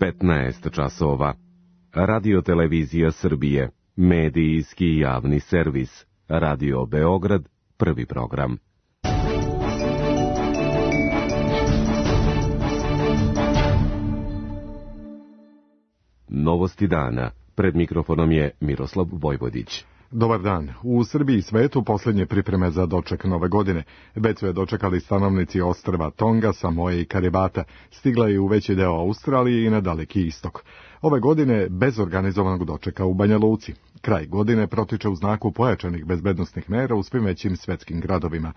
15 časova. Radio-televizija Srbije, medijski javni servis. Radio Beograd, prvi program. Novosti dana. Pred mikrofonom je Miroslav Vojvodić. Dobar dan. U Srbiji i svetu posljednje pripreme za doček nove godine. Već su je dočekali stanovnici ostrva Tonga, Samoe i Karibata. Stigla je u veći deo Australije i na Daleki istok. Ove godine bez organizovanog dočeka u Banja Luci. Kraj godine protiče u znaku pojačanih bezbednosnih mera u svim većim svetskim gradovima.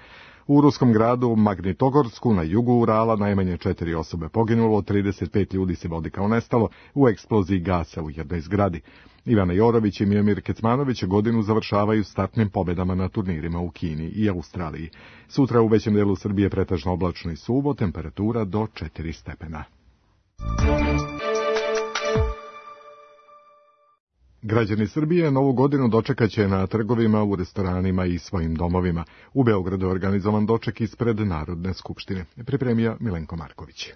U ruskom gradu Magnitogorsku na jugu Urala najmanje 4 osobe poginulo, 35 ljudi se vodi kao nestalo u eksploziji gasa u jednoj zgradi. Ivana Jorović i Mijomir Kecmanović godinu završavaju startnim pobedama na turnirima u Kini i Australiji. Sutra u većem delu Srbije pretežno oblačno i suvo, temperatura do 4 stepena. Građani Srbije novu godinu dočekaće na trgovima, u restoranima i svojim domovima. U Beogradu je organizovan doček ispred Narodne skupštine. Pripremio Milenko Marković.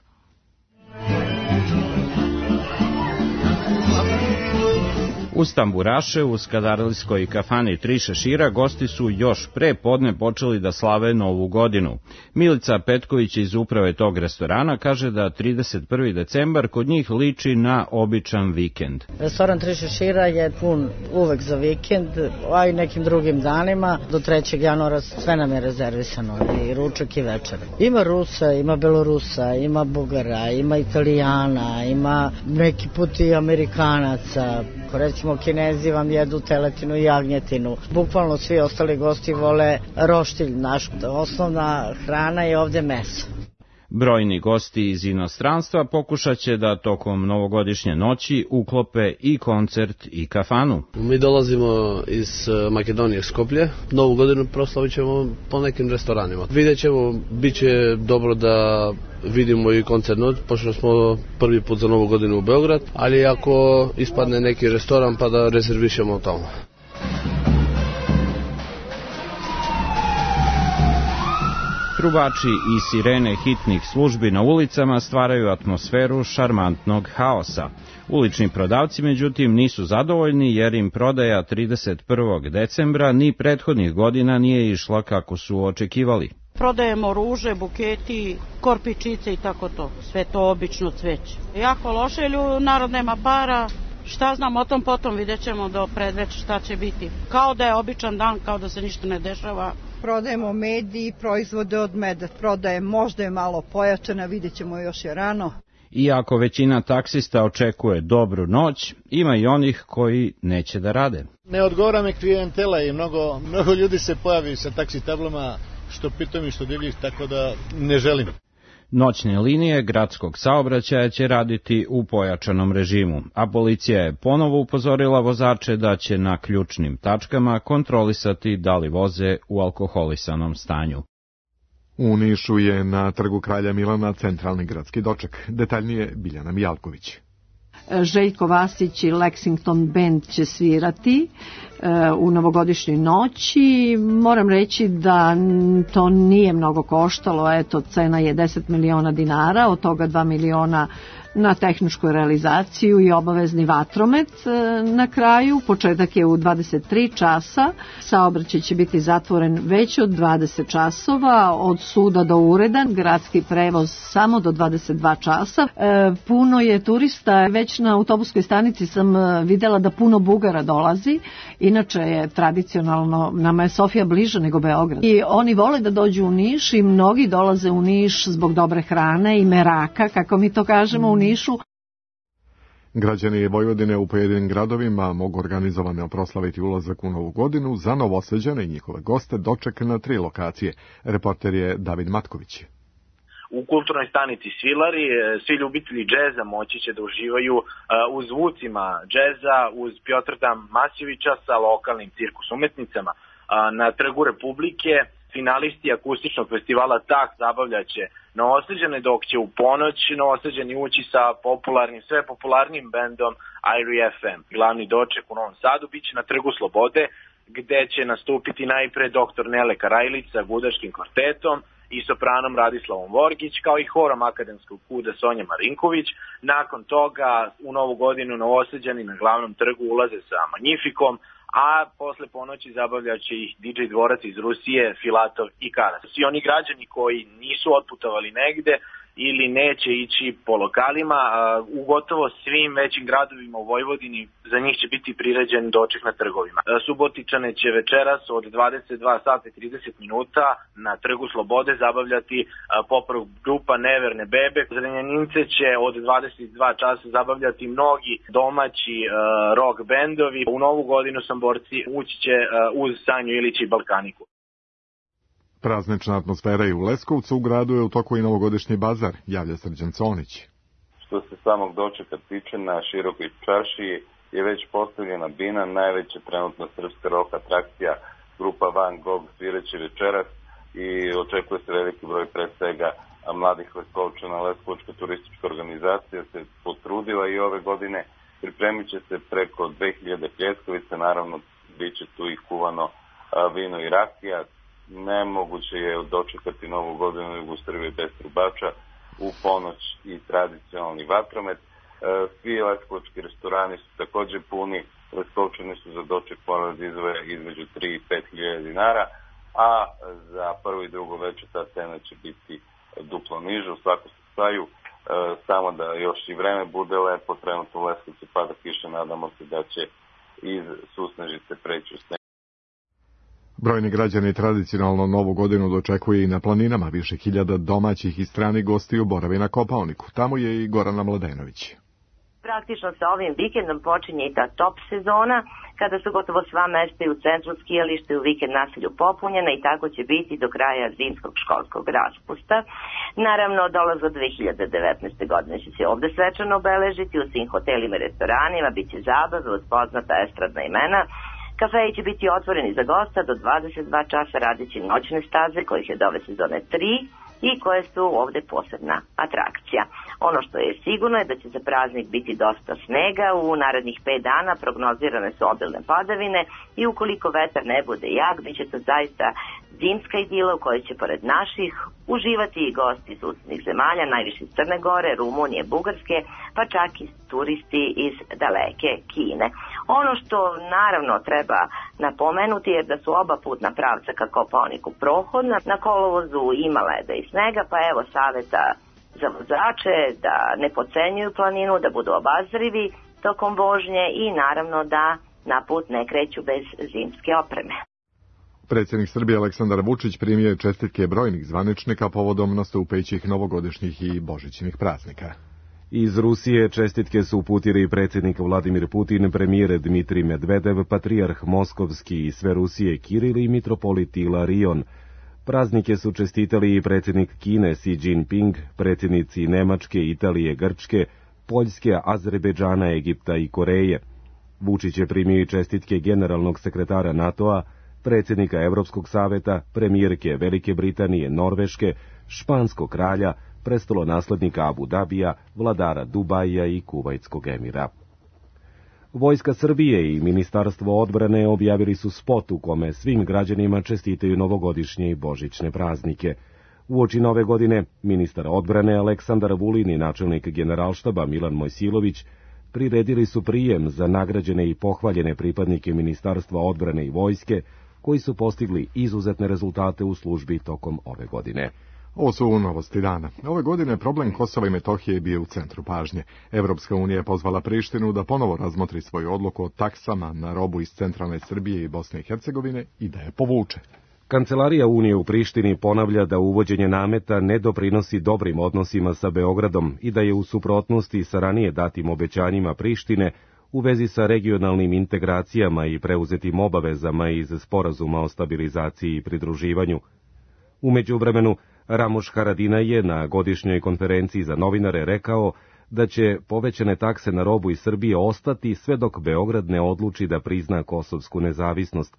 Uz tamburaše, u Skadarilskoj kafani Tri šešira gosti su još pre podne počeli da slave novu godinu. Milica Petković iz uprave tog restorana kaže da 31. decembar kod njih liči na običan vikend. Restoran Tri šešira je pun uvek za vikend, a i nekim drugim danima. Do 3. januara sve nam je rezervisano, i ručak i večer. Ima Rusa, ima Belorusa, ima Bugara, ima Italijana, ima neki put i Amerikanaca. Recimo Kinezi vam jedu teletinu i jagnjetinu. Bukvalno svi ostali gosti vole roštilj. Naš osnovna hrana je ovde meso. Brojni gosti iz inostranstva pokušat će da tokom novogodišnje noći uklope i koncert i kafanu. Mi dolazimo iz Makedonije, Skoplje. Novu godinu proslavit ćemo po nekim restoranima. Vidjet ćemo, bit će dobro da vidimo i koncert noć, pošto smo prvi put za novu godinu u Beograd, ali ako ispadne neki restoran pa da rezervišemo tamo. Trubači i sirene hitnih službi na ulicama stvaraju atmosferu šarmantnog haosa. Ulični prodavci, međutim, nisu zadovoljni jer im prodaja 31. decembra ni prethodnih godina nije išla kako su očekivali. Prodajemo ruže, buketi, korpičice i tako to. Sve to obično cveće. Jako loše, jer narod nema para. Šta znam o tom potom, vidjet ćemo do predveća šta će biti. Kao da je običan dan, kao da se ništa ne dešava. Prodajemo med i proizvode od meda. Prodaje možda je malo pojačana, vidjet ćemo još je rano. Iako većina taksista očekuje dobru noć, ima i onih koji neće da rade. Ne odgovara me klijentela i mnogo ljudi se pojavi sa taksi tablama, što pitom i što divljih, tako da ne želim. Noćne linije gradskog saobraćaja će raditi u pojačanom režimu, a policija je ponovo upozorila vozače da će na ključnim tačkama kontrolisati da li voze u alkoholisanom stanju. U Nišu je na Trgu Kralja Milana centralni gradski doček. Detaljnije Biljana Mijalković. Željko Vasić i Lexington Band će svirati u novogodišnjoj noći. Moram reći da to nije mnogo koštalo, eto, cena je 10 miliona dinara, od toga 2 miliona na tehničku realizaciju i obavezni vatromet na kraju. Početak je u 23 časa, saobraćaj će biti zatvoren već od 20 časova, od suda do ureda, gradski prevoz samo do 22 časa. Puno je turista, već na autobuskoj stanici sam videla da puno Bugara dolazi, inače je tradicionalno, nama je Sofija bliža nego Beograd. I oni vole da dođu u Niš i mnogi dolaze u Niš zbog dobre hrane i meraka, kako mi to kažemo u Nišu. Građani Vojvodine u pojedinim gradovima mogu organizovano proslaviti ulazak u novu godinu. Za Novosađane i njihove goste doček na 3 lokacije. Reporter je David Matković. U kulturnoj stanici Svilari svi ljubitelji džeza moći će da uživaju u zvucima džeza uz Pjotra Masjevića sa lokalnim cirkus umetnicama. Na Trgu Republike finalisti akustičnog festivala Tak zabavljaće Novosađane, dok će u ponoć Novosađani ući sa sve popularnim bendom Irie FM. Glavni doček u Novom Sadu biće na Trgu Slobode, gde će nastupiti najpre dr. Nele Karajlić sa gudačkim kvartetom i sopranom Radislavom Vorgić, kao i horom akademskog kuda Sonja Marinković. Nakon toga u Novu godinu Novosađani na glavnom trgu ulaze sa Magnifikom, a posle ponoći zabavljaće ih DJ dvorac iz Rusije, Filatov i Karas. Svi oni građani koji nisu otputovali negde ili neće ići po lokalima, u gotovo svim većim gradovima u Vojvodini za njih će biti priređen doček na trgovima. Subotičane će večeras od 22 sata i 30 minuta na Trgu Slobode zabavljati pop-rock grupa Neverne bebe. Zrenjanince će od 22 časa zabavljati mnogi domaći rock bendovi. U Novu godinu Samborci ući će uz Sanju Ilić i Balkaniku. Praznična atmosfera i u Leskovcu, u gradu je u toku i novogodišnji bazar, javlja Srđan Conić. Što se samog dočeka tiče, na Širokoj čaršiji je već postavljena bina, najveća trenutna srpska rock atrakcija, grupa Van Gogh svireće večeras i očekuje se veliki broj pre svega mladih Leskovčana. Leskovačka turistička organizacija se potrudila i ove godine, pripremit će se preko 2000 pljeskavica, naravno bit će tu i kuvano vino i rakija. Nemoguće je dočekati Novu godinu u jugu Srbije bez trubača, u ponoć i tradicionalni vatromet. Svi leskovački restorani su također puni, Leskovčani su za doček morali da izdvoje između 3 i 5 hiljada dinara, a za prvo i drugo večer ta cena će biti duplo niža. U svakom slučaju, samo da još i vreme bude lepo, trenutno u Leskovcu pada kiša, nadamo se da će iz susnežice preći u sneg. Brojni građani tradicionalno Novu godinu dočekuju i na planinama. Više hiljada domaćih i stranih gostiju boravi na Kopaoniku. Tamo je i Gorana Mladenović. Praktično sa ovim vikendom počinje i ta top sezona, kada su gotovo sva mesta i u centru skijalište u vikend naselju popunjena i tako će biti do kraja zimskog školskog raspusta. Naravno, dolaz od 2019. godine će se ovde svečano obeležiti u svim hotelima i restoranima, bit će zabave uz poznata estradna imena. Kafeji će biti otvoreni za gosta do 22 časa, radeći noćne staze kojih je do ove sezone 3 i koje su ovde posebna atrakcija. Ono što je sigurno je da će za praznik biti dosta snega, u narednih 5 dana prognozirane su obilne padavine i ukoliko vetar ne bude jak, bit će to zaista zimska idila u kojoj će pored naših uživati i gosti iz susednih zemalja, najviše iz Crne Gore, Rumunije, Bugarske, pa čak i turisti iz daleke Kine. Ono što naravno treba napomenuti je da su oba putna pravca ka Kopaoniku prohodna, na kolovozu ima leda i snega, pa evo saveta za vozače da ne podcenjuju planinu, da budu obazrivi tokom vožnje i naravno da na put ne kreću bez zimske opreme. Predsjednik Srbije Aleksandar Vučić primio je čestitke brojnih zvaničnika povodom nastupajućih novogodišnjih i božićnih praznika. Iz Rusije čestitke su uputili predsjednik Vladimir Putin, premijer Dmitrij Medvedev, patrijarh Moskovski i sve Rusije Kiril i mitropolit Ilarion. Praznike su čestitali i predsjednik Kine Xi Jinping, predsjednici Nemačke, Italije, Grčke, Poljske, Azerbejdžana, Egipta i Koreje. Vučić je primio i čestitke generalnog sekretara NATO-a, predsjednika Evropskog saveta, premijerke Velike Britanije, Norveške, španskog kralja, prestolonaslednika Abu Dabija, vladara Dubaja i Kuvajtskog emira. Vojska Srbije i Ministarstvo odbrane objavili su spot u kome svim građanima čestitaju novogodišnje i božićne praznike. Uoči nove godine, ministar odbrane Aleksandar Vulin i načelnik generalštaba Milan Mojsilović priredili su prijem za nagrađene i pohvaljene pripadnike Ministarstva odbrane i vojske, koji su postigli izuzetne rezultate u službi tokom ove godine. Ovo su novosti dana. Ove godine problem Kosova i Metohije je bio u centru pažnje. Evropska unija je pozvala Prištinu da ponovo razmotri svoju odluku o taksama na robu iz centralne Srbije i Bosne i Hercegovine i da je povuče. Kancelarija Unije u Prištini ponavlja da uvođenje nameta ne doprinosi dobrim odnosima sa Beogradom i da je u suprotnosti sa ranije datim obećanjima Prištine u vezi sa regionalnim integracijama i preuzetim obavezama iz Sporazuma o stabilizaciji i pridruživanju. U međuvremenu, Ramuš Haradinaj je na godišnjoj konferenciji za novinare rekao da će povećane takse na robu iz Srbije ostati sve dok Beograd ne odluči da prizna kosovsku nezavisnost.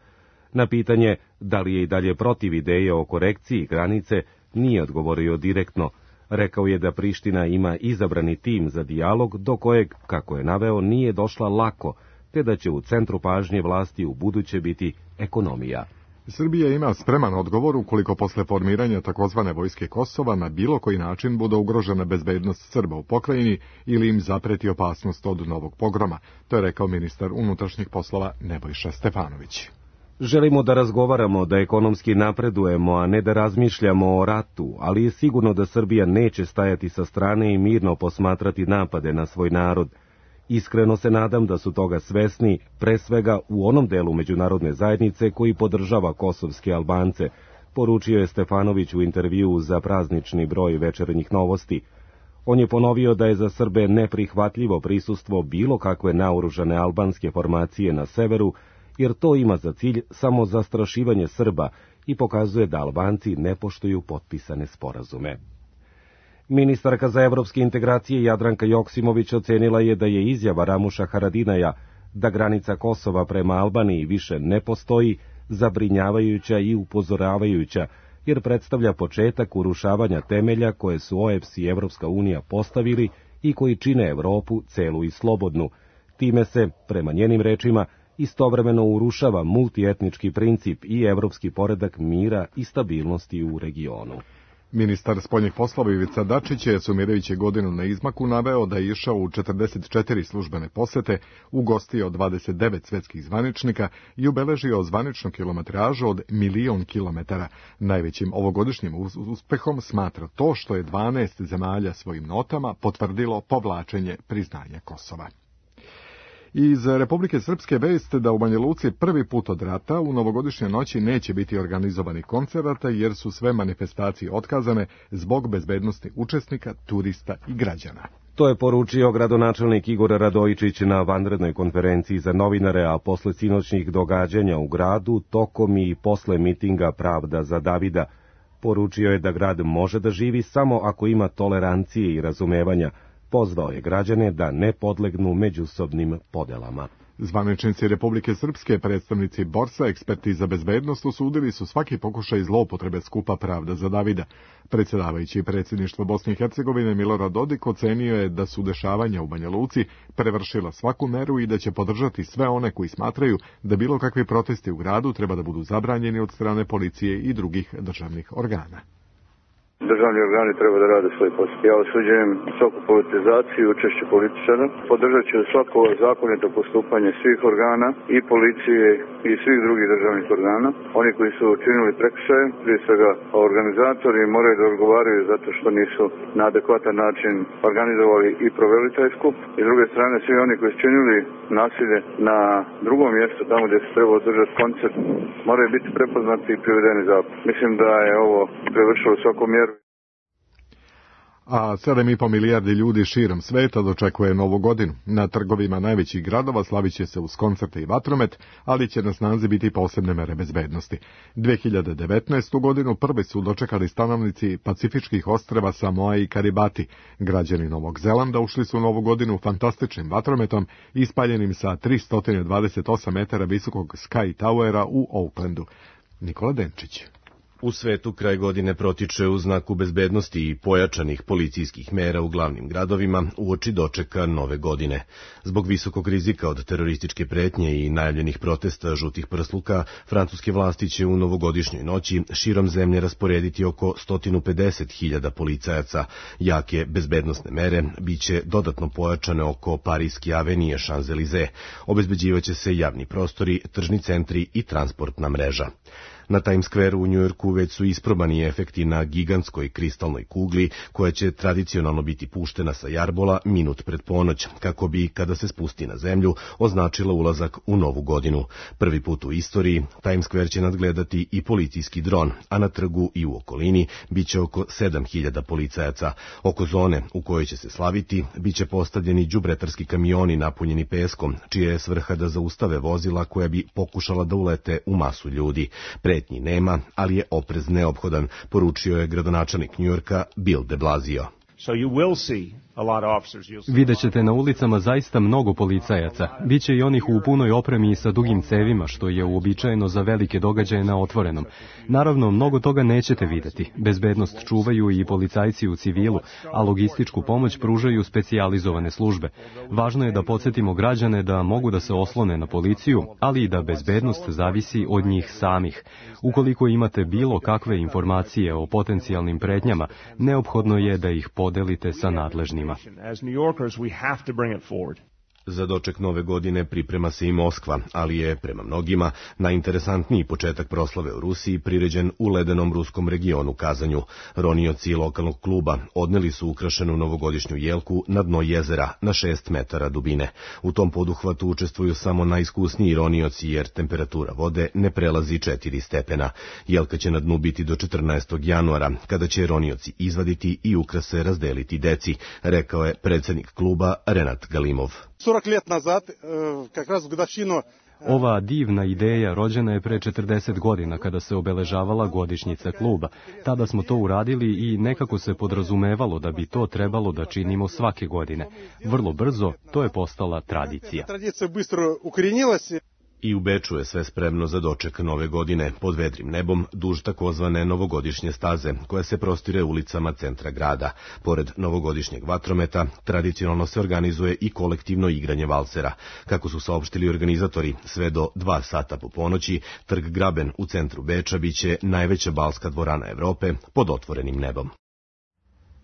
Na pitanje da li je i dalje protiv ideje o korekciji granice, nije odgovorio direktno. Rekao je da Priština ima izabrani tim za dijalog do kojeg, kako je naveo, nije došla lako, te da će u centru pažnje vlasti u buduće biti ekonomija. Srbija ima spreman odgovor ukoliko posle formiranja takozvane vojske Kosova na bilo koji način bude ugrožena bezbednost Srba u pokrajini ili im zapreti opasnost od novog pogroma. To je rekao ministar unutrašnjih poslova Nebojša Stefanović. Želimo da razgovaramo, da ekonomski napredujemo, a ne da razmišljamo o ratu, ali je sigurno da Srbija neće stajati sa strane i mirno posmatrati napade na svoj narod. Iskreno se nadam da su toga svesni, pre svega u onom delu međunarodne zajednice koji podržava kosovske Albance, poručio je Stefanović u intervjuu za praznični broj Večernjih novosti. On je ponovio da je za Srbe neprihvatljivo prisustvo bilo kakve naoružane albanske formacije na severu, jer to ima za cilj samo zastrašivanje Srba i pokazuje da Albanci ne poštuju potpisane sporazume. Ministarka za evropske integracije Jadranka Joksimović ocenila je da je izjava Ramuša Haradinaja da granica Kosova prema Albaniji više ne postoji zabrinjavajuća i upozoravajuća, jer predstavlja početak urušavanja temelja koje su OEBS i Evropska unija postavili i koji čine Evropu celu i slobodnu. Time se, prema njenim rečima, istovremeno urušava multietnički princip i evropski poredak mira i stabilnosti u regionu. Ministar spoljnih poslova Ivica Dačić je, sumirajući godinu na izmaku, naveo da je išao u 44 službene posete, ugostio 29 svetskih zvaničnika i ubeležio zvaničnu kilometražu od 1.000.000 kilometara. Najvećim ovogodišnjim uspehom smatra to što je 12 zemalja svojim notama potvrdilo povlačenje priznanja Kosova. Iz Republike Srpske vest da u Banja Luci prvi put od rata u novogodišnje noći neće biti organizovani koncerata jer su sve manifestacije otkazane zbog bezbednosti učesnika, turista i građana. To je poručio gradonačelnik Igor Radojičić na vanrednoj konferenciji za novinare, a posle sinoćnih događanja u gradu, tokom i posle mitinga Pravda za Davida. Poručio je da grad može da živi samo ako ima tolerancije i razumevanja. Pozvao je građane da ne podlegnu međusobnim podelama. Zvaničnici Republike Srpske, predstavnici Borsa, eksperti za bezbednost, osudili su svaki pokušaj zloupotrebe skupa Pravda za Davida. Predsjedavajući predsjedništvo Bosne i Hercegovine Milorad Dodik ocenio je da su dešavanja u Banja Luci prevršila svaku meru i da će podržati sve one koji smatraju da bilo kakvi protesti u gradu treba da budu zabranjeni od strane policije i drugih državnih organa. Državni organi treba da rade svoj posao. Ja osuđujem svaku politizaciju i učešće političara. Podržat ću svako zakonito postupanje svih organa i policije i svih drugih državnih organa. Oni koji su učinili prekršaje, prije svega organizatori, moraju da odgovaraju zato što nisu na adekvatan način organizovali i proveli taj skup. I s druge strane, svi oni koji su činili nasilje na drugom mjestu, tamo gdje se treba održati koncert, moraju biti prepoznati i privedeni zakon. Mislim da je ovo prevršilo svaku mjeru. A 7,5 milijardi ljudi širom sveta dočekuje Novu godinu. Na trgovima najvećih gradova slavit će se uz koncerte i vatromet, ali će na snazi biti posebne mere bezbednosti. 2019. godinu prvi su dočekali stanovnici Pacifičkih ostrva Samoa i Karibati. Građani Novog Zelanda ušli su u Novu godinu fantastičnim vatrometom, ispaljenim sa 328 metara visokog Sky Towera u Aucklandu. Nikola Denčić. U svetu kraj godine protiče u znaku bezbednosti i pojačanih policijskih mera u glavnim gradovima uoči dočeka Nove godine. Zbog visokog rizika od terorističke pretnje i najavljenih protesta žutih prsluka, francuske vlasti će u novogodišnjoj noći širom zemlje rasporediti oko 150.000 policajaca. Jake bezbednosne mere biće dodatno pojačane oko Parijske avenije Champs-Élysées. Obezbeđivaće se javni prostori, tržni centri i transportna mreža. Na Times Square u Njujorku već su isprobani efekti na gigantskoj kristalnoj kugli, koja će tradicionalno biti puštena sa jarbola minut pred ponoć, kako bi, kada se spusti na zemlju, označila ulazak u novu godinu. Prvi put u istoriji Times Square će nadgledati i policijski dron, a na trgu i u okolini biće oko 7.000 policajaca. Oko zone u kojoj će se slaviti biće postavljeni đubretarski kamioni napunjeni peskom, čija je svrha da zaustave vozila koja bi pokušala da ulete u masu ljudi. Pretnji nema, ali je oprez neophodan, poručio je gradonačelnik Njujorka Bill de Blasio. Videćete na ulicama zaista mnogo policajaca. Biće i onih u punoj opremi i sa dugim cevima, što je uobičajeno za velike događaje na otvorenom. Naravno, mnogo toga nećete videti. Bezbednost čuvaju i policajci u civilu, a logističku pomoć pružaju specijalizovane službe. Važno je da podsjetimo građane da mogu da se oslone na policiju, ali i da bezbednost zavisi od njih samih. Ukoliko imate bilo kakve informacije o potencijalnim pretnjama, neophodno je da ih podelite sa nadležnima. Za doček nove godine priprema se i Moskva, ali je, prema mnogima, najinteresantniji početak proslave u Rusiji priređen u ledenom ruskom regionu Kazanju. Ronioci lokalnog kluba odneli su ukrašenu novogodišnju jelku na dno jezera na 6 metara dubine. U tom poduhvatu učestvuju samo najiskusniji ronioci jer temperatura vode ne prelazi 4 stepena. Jelka će na dnu biti do 14. januara, kada će ronioci izvaditi i ukrase razdeliti deci, rekao je predsjednik kluba Renat Galimov. 40 let nazad, как раз в годовщину. Ova divna ideja rođena je pre 40 godina kada se obeležavala godišnjica kluba. Tada smo to uradili i nekako se podrazumevalo da bi to trebalo da činimo svake godine. Vrlo brzo to je postala tradicija. Tradicija bыстро укоренилась. I u Beču je sve spremno za doček nove godine, pod vedrim nebom, duž takozvane novogodišnje staze, koja se prostire ulicama centra grada. Pored novogodišnjeg vatrometa, tradicionalno se organizuje i kolektivno igranje valsera. Kako su saopštili organizatori, sve do 2 sata po ponoći, trg Graben u centru Beča biće najveća balska dvorana Evrope pod otvorenim nebom.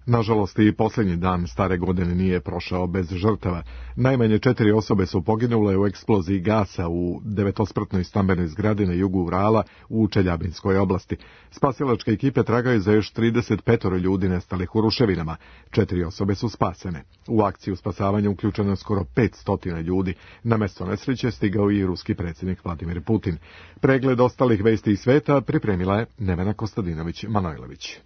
Nažalost, i posljednji dan stare godine nije prošao bez žrtava. Najmanje 4 osobe su poginule u eksploziji gasa u 9-spratnoj stambenoj zgradi na jugu Urala u Čeljabinskoj oblasti. Spasilačke ekipe tragaju za još 35 ljudi nestalih u ruševinama. 4 osobe su spasene. U akciju spasavanja uključeno je skoro 500 ljudi. Na mesto nesreće stigao i ruski predsjednik Vladimir Putin. Pregled ostalih vesti iz sveta pripremila je Nevena Kostadinović-Manojlović.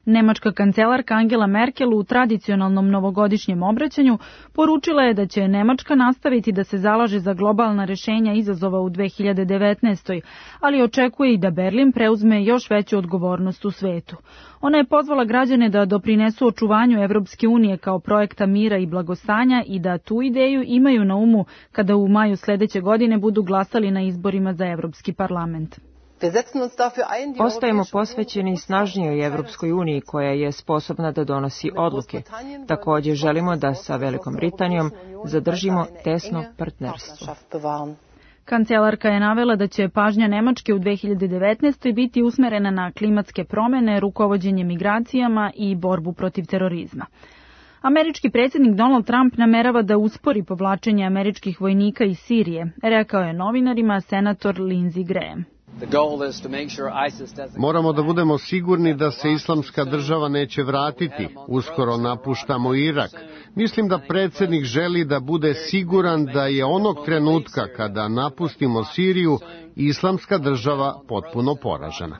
Nemačka kancelarka Angela Merkel u tradicionalnom novogodišnjem obraćanju poručila je da će Nemačka nastaviti da se zalaže za globalna rešenja izazova u 2019. ali očekuje i da Berlin preuzme još veću odgovornost u svetu. Ona je pozvala građane da doprinesu očuvanju Evropske unije kao projekta mira i blagostanja i da tu ideju imaju na umu kada u maju sledeće godine budu glasali na izborima za Evropski parlament. Ostajemo posvećeni snažnijoj Evropskoj uniji koja je sposobna da donosi odluke. Također želimo da sa Velikom Britanijom zadržimo tesno partnerstvo. Kancelarka je navela da će pažnja Nemačke u 2019. biti usmerena na klimatske promjene, rukovođenje migracijama i borbu protiv terorizma. Američki predsjednik Donald Trump namerava da uspori povlačenje američkih vojnika iz Sirije, rekao je novinarima senator Lindsey Graham. Moramo da budemo sigurni da se islamska država neće vratiti. Uskoro napuštamo Irak. Mislim da predsjednik želi da bude siguran da je onog trenutka kada napustimo Siriju, islamska država potpuno poražena.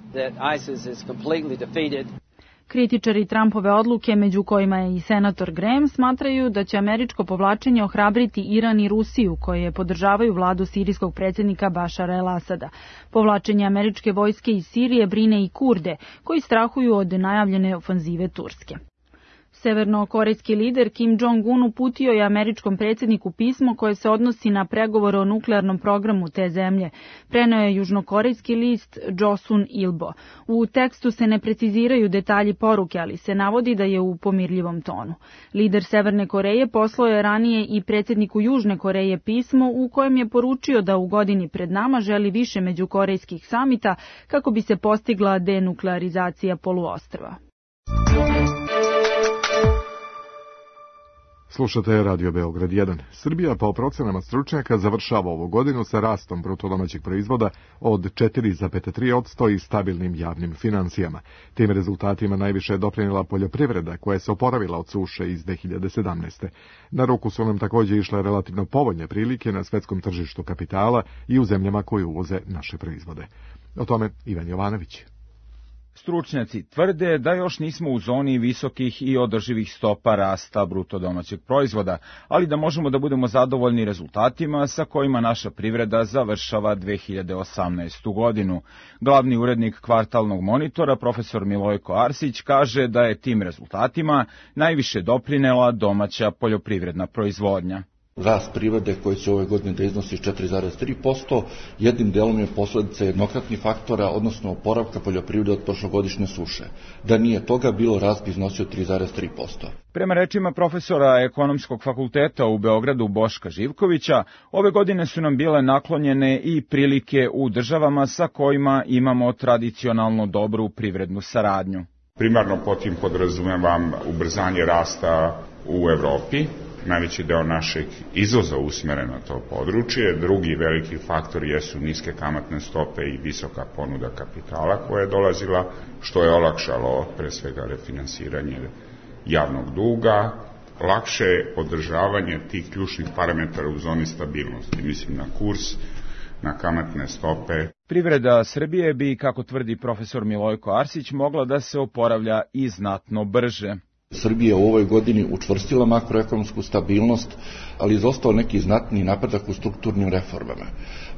Kritičari Trumpove odluke, među kojima je i senator Graham, smatraju da će američko povlačenje ohrabriti Iran i Rusiju, koje podržavaju vladu sirijskog predsjednika Bašara el-Asada. Povlačenje američke vojske iz Sirije brine i Kurde, koji strahuju od najavljene ofanzive Turske. Severnokorejski lider Kim Jong-un uputio je američkom predsjedniku pismo koje se odnosi na pregovore o nuklearnom programu te zemlje, preneo je južnokorejski list Joseon Ilbo. U tekstu se ne preciziraju detalji poruke, ali se navodi da je u pomirljivom tonu. Lider Severne Koreje poslao je ranije i predsjedniku Južne Koreje pismo u kojem je poručio da u godini pred nama želi više međukorejskih samita kako bi se postigla denuklearizacija poluostrva. Slušate Radio Beograd 1. Srbija po procenama stručnjaka završava ovu godinu sa rastom brutodomaćeg proizvoda od 4,3% i stabilnim javnim financijama. Tim rezultatima najviše je doprinijela poljoprivreda koja se oporavila od suše iz 2017. Na ruku su nam također išle relativno povoljne prilike na svetskom tržištu kapitala i u zemljama koje uvoze naše proizvode. O tome Ivan Jovanović. Stručnjaci tvrde da još nismo u zoni visokih i održivih stopa rasta bruto domaćeg proizvoda, ali da možemo da budemo zadovoljni rezultatima sa kojima naša privreda završava 2018. godinu. Glavni urednik kvartalnog monitora, profesor Milojko Arsić, kaže da je tim rezultatima najviše doprinela domaća poljoprivredna proizvodnja. Rast privrede koji će ove godine da iznosi 4,3%, jednim delom je posledica jednokratnih faktora, odnosno oporavka poljoprivrede od prošlogodišnje suše. Da nije toga bilo, rast bi iznosio 3,3%. Prema rečima profesora Ekonomskog fakulteta u Beogradu Boška Živkovića, ove godine su nam bile naklonjene i prilike u državama sa kojima imamo tradicionalno dobru privrednu saradnju. Primarno pod tim podrazumevam ubrzanje rasta u Evropi. Najveći deo našeg izvoza usmeren na to područje. Drugi veliki faktor jesu niske kamatne stope i visoka ponuda kapitala koja je dolazila, što je olakšalo pre svega refinansiranje javnog duga, lakše održavanje tih ključnih parametara u zoni stabilnosti, mislim na kurs, na kamatne stope. Privreda Srbije bi, kako tvrdi profesor Milojko Arsić, mogla da se oporavlja i znatno brže. Srbija u ovoj godini učvrstila makroekonomsku stabilnost, ali izostao neki znatni napredak u strukturnim reformama.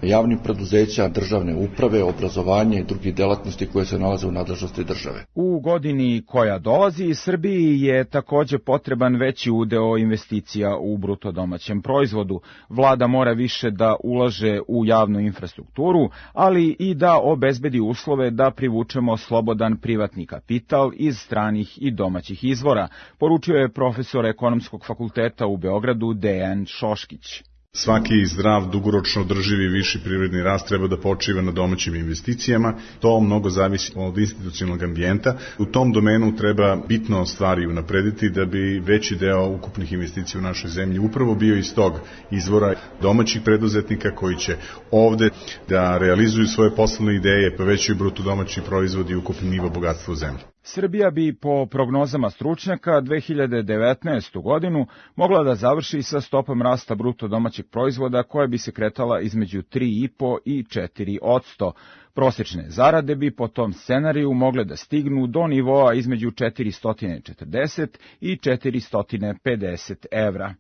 Javnih preduzeća, državne uprave, obrazovanje i drugih delatnosti koje se nalaze u nadležnosti države. U godini koja dolazi, Srbiji je takođe potreban veći udeo investicija u bruto domaćem proizvodu. Vlada mora više da ulaže u javnu infrastrukturu, ali i da obezbedi uslove da privučemo slobodan privatni kapital iz stranih i domaćih izvora, poručio je profesor Ekonomskog fakulteta u Beogradu Dejan Šoškić. Svaki zdrav, dugoročno održivi viši privredni rast treba da počiva na domaćim investicijama. To mnogo zavisi od institucionalnog ambijenta. U tom domenu treba bitno stvari unaprediti da bi veći deo ukupnih investicija u našoj zemlji upravo bio iz tog izvora domaćih preduzetnika koji će ovde da realizuju svoje poslovne ideje, povećaju bruto domaći proizvod i ukupni nivo bogatstva u zemlji. Srbija bi po prognozama stručnjaka 2019. godinu mogla da završi sa stopom rasta bruto domaćeg proizvoda koja bi se kretala između 3,5 i 4%. Prosečne zarade bi po tom scenariju mogle da stignu do nivoa između 440 i 450 evra.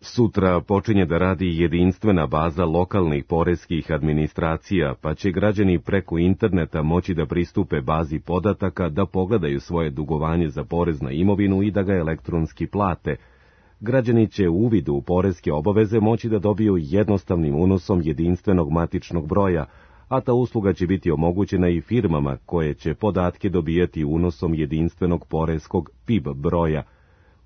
Sutra počinje da radi jedinstvena baza lokalnih poreskih administracija, pa će građani preko interneta moći da pristupe bazi podataka da pogledaju svoje dugovanje za porez na imovinu i da ga elektronski plate. Građani će u uvidu u poreske obaveze moći da dobiju jednostavnim unosom jedinstvenog matičnog broja, a ta usluga će biti omogućena i firmama koje će podatke dobijati unosom jedinstvenog poreskog PIB broja.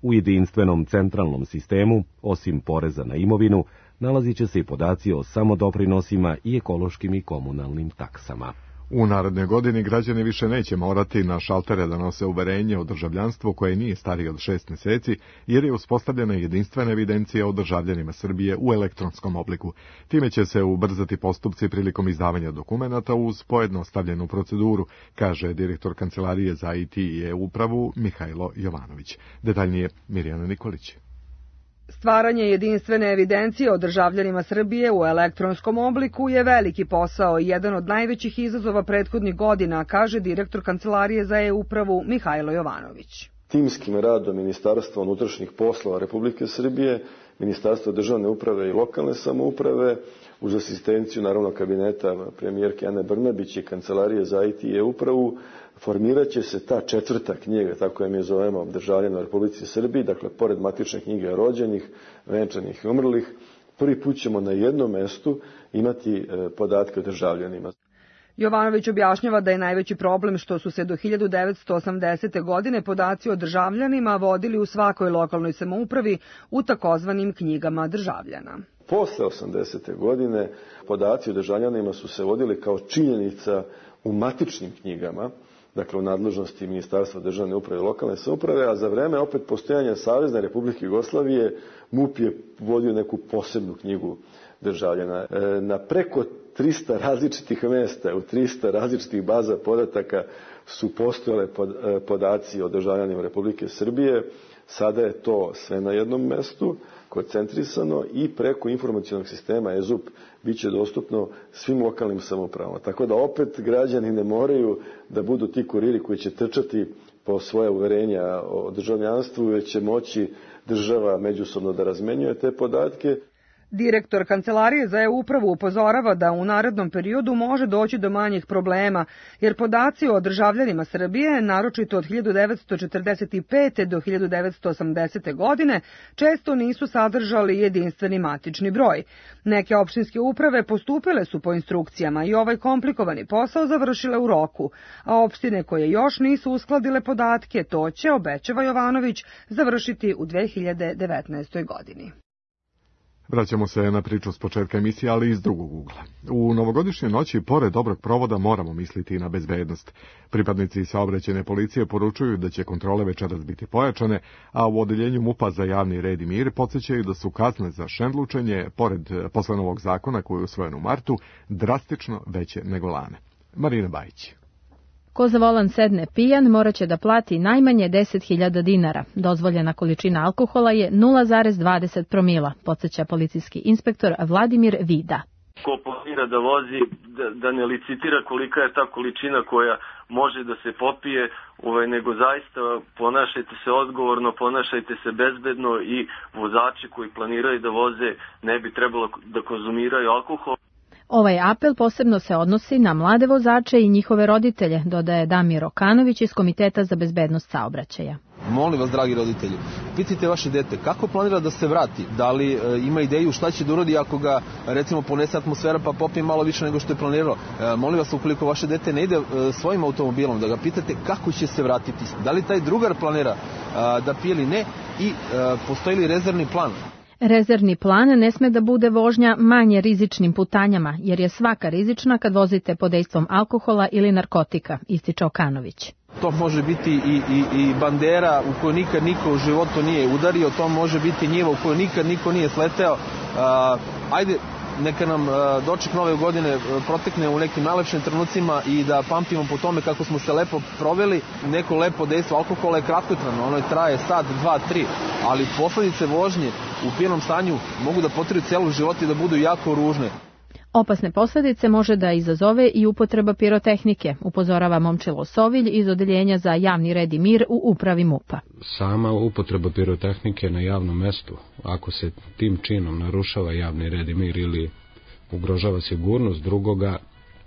U jedinstvenom centralnom sistemu, osim poreza na imovinu, nalazit će se i podaci o samodoprinosima i ekološkim i komunalnim taksama. U narednoj godini građani više neće morati na šaltere da nose uverenje o državljanstvu koje nije starije od 6 meseci, jer je uspostavljena jedinstvena evidencija o državljanima Srbije u elektronskom obliku. Time će se ubrzati postupci prilikom izdavanja dokumenata uz pojednostavljenu proceduru, kaže direktor Kancelarije za IT i e-upravu Mihajlo Jovanović. Detaljnije Mirjana Nikolić. Stvaranje jedinstvene evidencije o državljanima Srbije u elektronskom obliku je veliki posao i jedan od najvećih izazova prethodnih godina, kaže direktor Kancelarije za e-upravu Mihajlo Jovanović. Timskim radom Ministarstva unutrašnjih poslova Republike Srbije, Ministarstva državne uprave i lokalne samouprave, uz asistenciju naravno kabineta premijerke Ane Brnabić i Kancelarije za IT i e-upravu, formirat će se ta četvrta knjiga, tako je mi zovemo, državljana u Republici Srbiji, dakle, pored matične knjige rođenih, venčanih i umrlih, prvi put ćemo na jednom mestu imati podatke o državljanima. Jovanović objašnjava da je najveći problem što su se do 1980. godine podaci o državljanima vodili u svakoj lokalnoj samoupravi u takozvanim knjigama državljana. Posle 80. godine podaci o državljanima su se vodili kao činjenica u matičnim knjigama, dakle u nadležnosti Ministarstva državne uprave i lokalne samouprave, a za vreme opet postojanja Savezne Republike Jugoslavije MUP je vodio neku posebnu knjigu državljana. Na preko 300 različitih mesta, u 300 različitih baza podataka su postojale podaci o državljanima Republike Srbije. Sada je to sve na jednom mestu, koncentrisano i preko informacionog sistema EZUP bit će dostupno svim lokalnim samoupravama. Tako da opet građani ne moraju da budu ti kuriri koji će trčati po svoja uverenja o državljanstvu, već će moći država međusobno da razmenjuje te podatke. Direktor Kancelarije za e-upravu upozorava da u narednom periodu može doći do manjih problema, jer podaci o državljanima Srbije, naročito od 1945. do 1980. godine, često nisu sadržali jedinstveni matični broj. Neke opštinske uprave postupile su po instrukcijama i ovaj komplikovani posao završile u roku, a opštine koje još nisu uskladile podatke, to će, obećava Jovanović, završiti u 2019. godini. Vraćamo se na priču s početka emisije, ali iz drugog ugla. U novogodišnjoj noći, pored dobrog provoda, moramo misliti i na bezbednost. Pripadnici saobraćajne policije poručuju da će kontrole večeras biti pojačane, a u odeljenju MUP-a za javni red i mir podsjećaju da su kazne za šendlučenje, pored posle novog zakona koji je usvojen u martu, drastično veće nego lane. Marina Bajić. Ko za volan sedne pijan moraće da plati najmanje 10.000 dinara. Dozvoljena količina alkohola je 0,20 promila, podsjeća policijski inspektor Vladimir Vida. Ko planira da vozi, da ne licitira kolika je ta količina koja može da se popije, nego zaista ponašajte se odgovorno, ponašajte se bezbedno i vozači koji planiraju da voze ne bi trebalo da konzumiraju alkohol. Ovaj apel posebno se odnosi na mlade vozače i njihove roditelje, dodaje Damir Okanović iz Komiteta za bezbednost saobraćaja. Molim vas, dragi roditelji, pitajte vaše dete kako planira da se vrati, da li ima ideju šta će da uradi ako ga, recimo, ponese atmosfera pa popije malo više nego što je planirao. Molim vas, ukoliko vaše dete ne ide svojim automobilom, da ga pitate kako će se vratiti, da li taj drugar planira da pije ili ne i postoji li rezervni plan. Rezervni plan ne sme da bude vožnja manje rizičnim putanjama, jer je svaka rizična kad vozite pod dejstvom alkohola ili narkotika, ističe Okanović. To može biti i bandera u kojoj nikad niko u životu nije udario, to može biti njiva u kojoj nikad niko nije sleteo. Ajde, neka nam doček nove godine protekne u nekim najlepšim trenucima i da pamtimo po tome kako smo se lepo proveli. Neko lepo dejstvo alkohola je kratkotrajno, ono traje sat, 2, 3, ali posledice vožnje u pijanom stanju mogu da potraju celu život i da budu jako ružne. Opasne posledice može da izazove i upotreba pirotehnike, upozorava Momčilo Sovilj iz Odeljenja za javni red i mir u upravi MUP-a. Sama upotreba pirotehnike na javnom mestu, ako se tim činom narušava javni red i mir ili ugrožava sigurnost drugoga,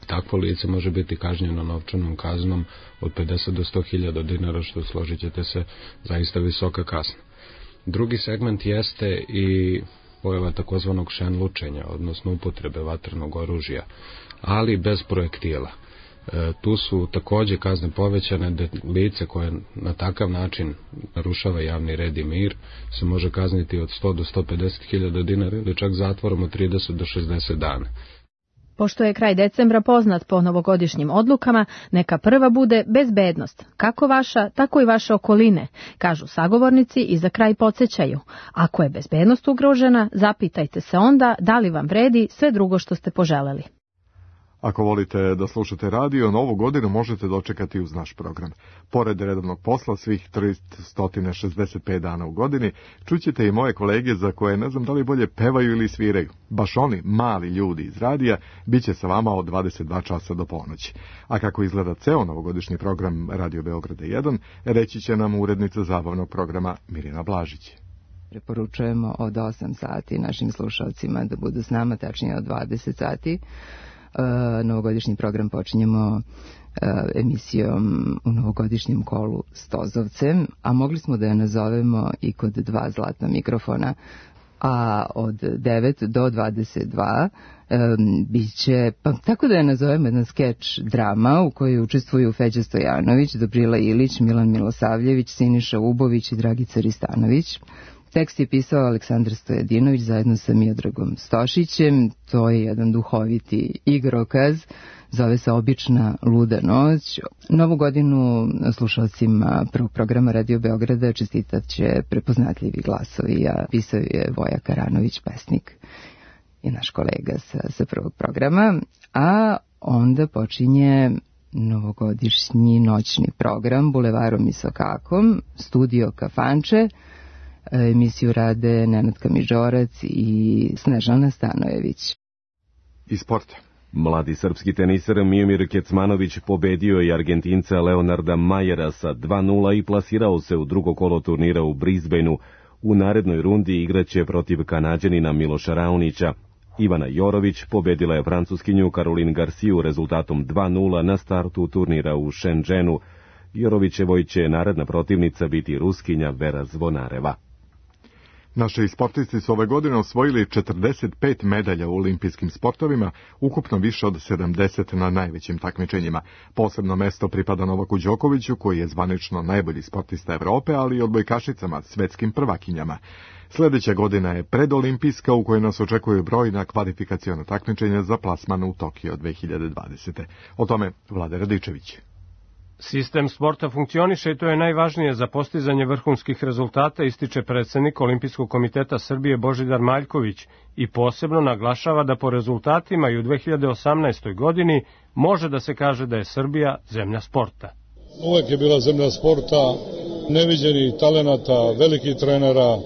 takvo lice može biti kažnjeno novčanom kaznom od 50 do 100.000 dinara, što, složit ćete se, zaista visoka kazna. Drugi segment jeste i pojava takozvanog šenlučenja, odnosno upotrebe vatrenog oružja, ali bez projektila. Tu su takođe kazne povećane, da lice koje na takav način narušava javni red i mir se može kazniti od 100 do 150.000 dinara ili čak zatvorom od 30 do 60 dana. Pošto je kraj decembra poznat po novogodišnjim odlukama, neka prva bude bezbednost, kako vaša, tako i vaše okoline, kažu sagovornici i za kraj podsjećaju. Ako je bezbednost ugrožena, zapitajte se onda da li vam vredi sve drugo što ste poželeli. Ako volite da slušate radio, novu godinu možete dočekati uz naš program. Pored redovnog posla svih 365 dana u godini, čućete i moje kolege za koje ne znam da li bolje pevaju ili sviraju. Baš oni, mali ljudi iz radija, bit će sa vama od 22 časa do ponoći. A kako izgleda ceo novogodišnji program Radio Beograda 1, reći će nam urednica zabavnog programa Mirjana Blažić. Preporučujemo od 8 sati našim slušalcima da budu s nama, tačnije od 20 sati. Novogodišnji program počinjemo emisijom u novogodišnjem kolu Stozovcem, a mogli smo da je nazovemo i kod 2 zlatna mikrofona, a od 9 do 22 biće, pa tako da je nazovemo, jedna skeč drama u kojoj učestvuju Feđa Stojanović, Dobrila Ilić, Milan Milosavljević, Siniša Ubović i Dragica Ristanović. Tekst je pisao Aleksandar Stojadinović zajedno sa Miodragom Stošićem. To je jedan duhoviti igrokaz, zove se Obična luda noć. Novu godinu slušalcima prvog programa Radio Beograda čestitat će prepoznatljivi glasovi, a pisao je Voja Karanović, pesnik. je naš kolega sa prvog programa, a onda počinje novogodišnji noćni program Bulevarom i Sokakom, studio Kafanče. Emisiju rade Nenad Kamižorac i Snežana Stanojević. I sporta. Mladi srpski teniser Miomir Kecmanović pobedio je Argentinca Leonarda Majera sa 2:0 i plasirao se u drugo kolo turnira u Brisbaneu. U narednoj rundi igraće protiv Kanađanina Miloša Raonića. Ivana Jorović pobedila je Francuskinju Caroline Garciju rezultatom 2:0 na startu turnira u Shenzhenu. Jorovićevoj će naredna protivnica biti Ruskinja Vera Zvonareva. Naši sportisti su ove godine osvojili 45 medalja u olimpijskim sportovima, ukupno više od 70 na najvećim takmičenjima. Posebno mesto pripada Novaku Đokoviću, koji je zvanično najbolji sportista Evrope, ali i odbojkašicama, svetskim prvakinjama. Sljedeća godina je predolimpijska, u kojoj nas očekuju brojna kvalifikaciona takmičenja za plasman u Tokio 2020. O tome Vlada Radičević. Sistem sporta funkcioniše i to je najvažnije za postizanje vrhunskih rezultata, ističe predsednik Olimpijskog komiteta Srbije Božidar Maljković i posebno naglašava da po rezultatima i u 2018. godini može da se kaže da je Srbija zemlja sporta. Uvek je bila zemlja sporta, neviđenih talenata, velikih trenera,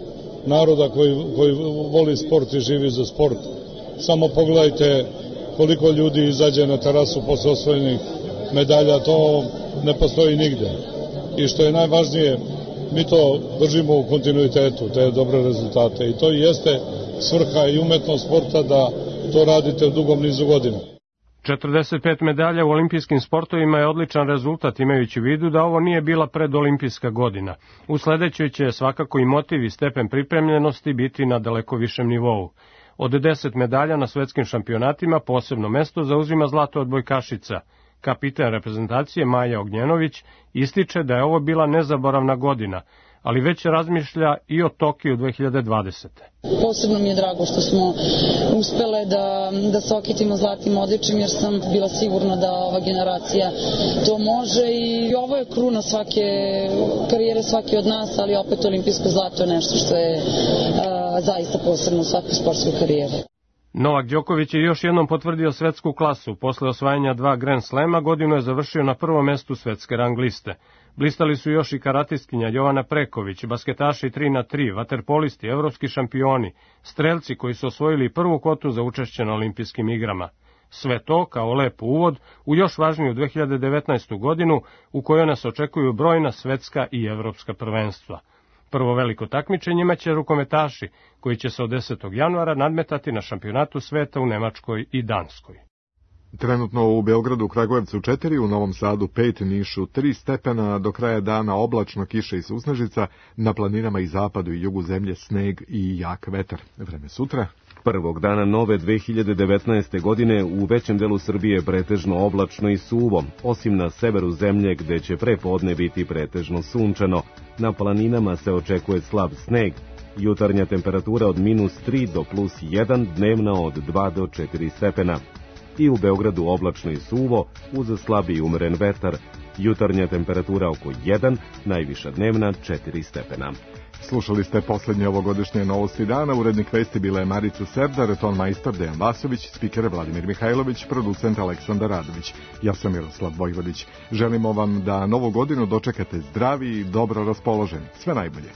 naroda koji voli sport i živi za sport. Samo pogledajte koliko ljudi izađe na terasu posle osvojenih medalja, to ne postoji nigde. I što je najvažnije, mi to držimo u kontinuitetu, te dobre rezultate. I to jeste svrha i umetnost sporta da to radite u dugom nizu godina. 45 medalja u olimpijskim sportovima je odličan rezultat, imajući u vidu da ovo nije bila predolimpijska godina. U sledećoj će svakako i motiv i stepen pripremljenosti biti na daleko višem nivou. Od 10 medalja na svetskim šampionatima posebno mesto zauzima zlato odbojkašica. Kapitan reprezentacije Maja Ognjenović ističe da je ovo bila nezaboravna godina, ali već razmišlja i o Tokiju 2020. Posebno mi je drago što smo uspele da se okitimo zlatnim odličjem, jer sam bila sigurna da ova generacija to može i ovo je kruna svake karijere svake od nas, ali opet olimpijsko zlato je nešto što je zaista posebno u svakoj sportskoj karijeri. Novak Đoković je još jednom potvrdio svetsku klasu. Posle osvajanja 2 Grand Slema godinu je završio na prvom mestu svetske rang liste. Blistali su još i karatistkinja Jovana Preković, basketaši 3x3, vaterpolisti, evropski šampioni, strelci koji su osvojili prvu kvotu za učešće na olimpijskim igrama. Sve to kao lep uvod u još važniju 2019. godinu u kojoj nas očekuju brojna svetska i evropska prvenstva. Prvo veliko takmičenje imaće rukometaši, koji će se od 10. januara nadmetati na šampionatu sveta u Nemačkoj i Danskoj. Trenutno u Beogradu, Kragujevcu 4, u Novom Sadu 5, Nišu 3 stepena, do kraja dana oblačno, kiša i susnežica, na planinama i zapadu i jugu zemlje sneg i jak vetar. Vreme sutra. Prvog dana nove 2019. godine u većem delu Srbije pretežno oblačno i suvo, osim na severu zemlje gde će prepodne biti pretežno sunčano. Na planinama se očekuje slab sneg, jutarnja temperatura od -3 do +1, dnevna od 2 do 4 stepena. I u Beogradu oblačno i suvo, uz slab i umeren vetar, jutarnja temperatura oko 1, najviša dnevna 4 stepena. Slušali ste poslednje ovogodišnje novosti dana. Urednik vesti bila je Marica Serdar, ton majstor Dejan Vasović, spiker Vladimir Mihajlović, producent Aleksandar Radović. Ja sam Miroslav Vojvodić. Želimo vam da novu godinu dočekate zdravi i dobro raspoloženi. Sve najbolje.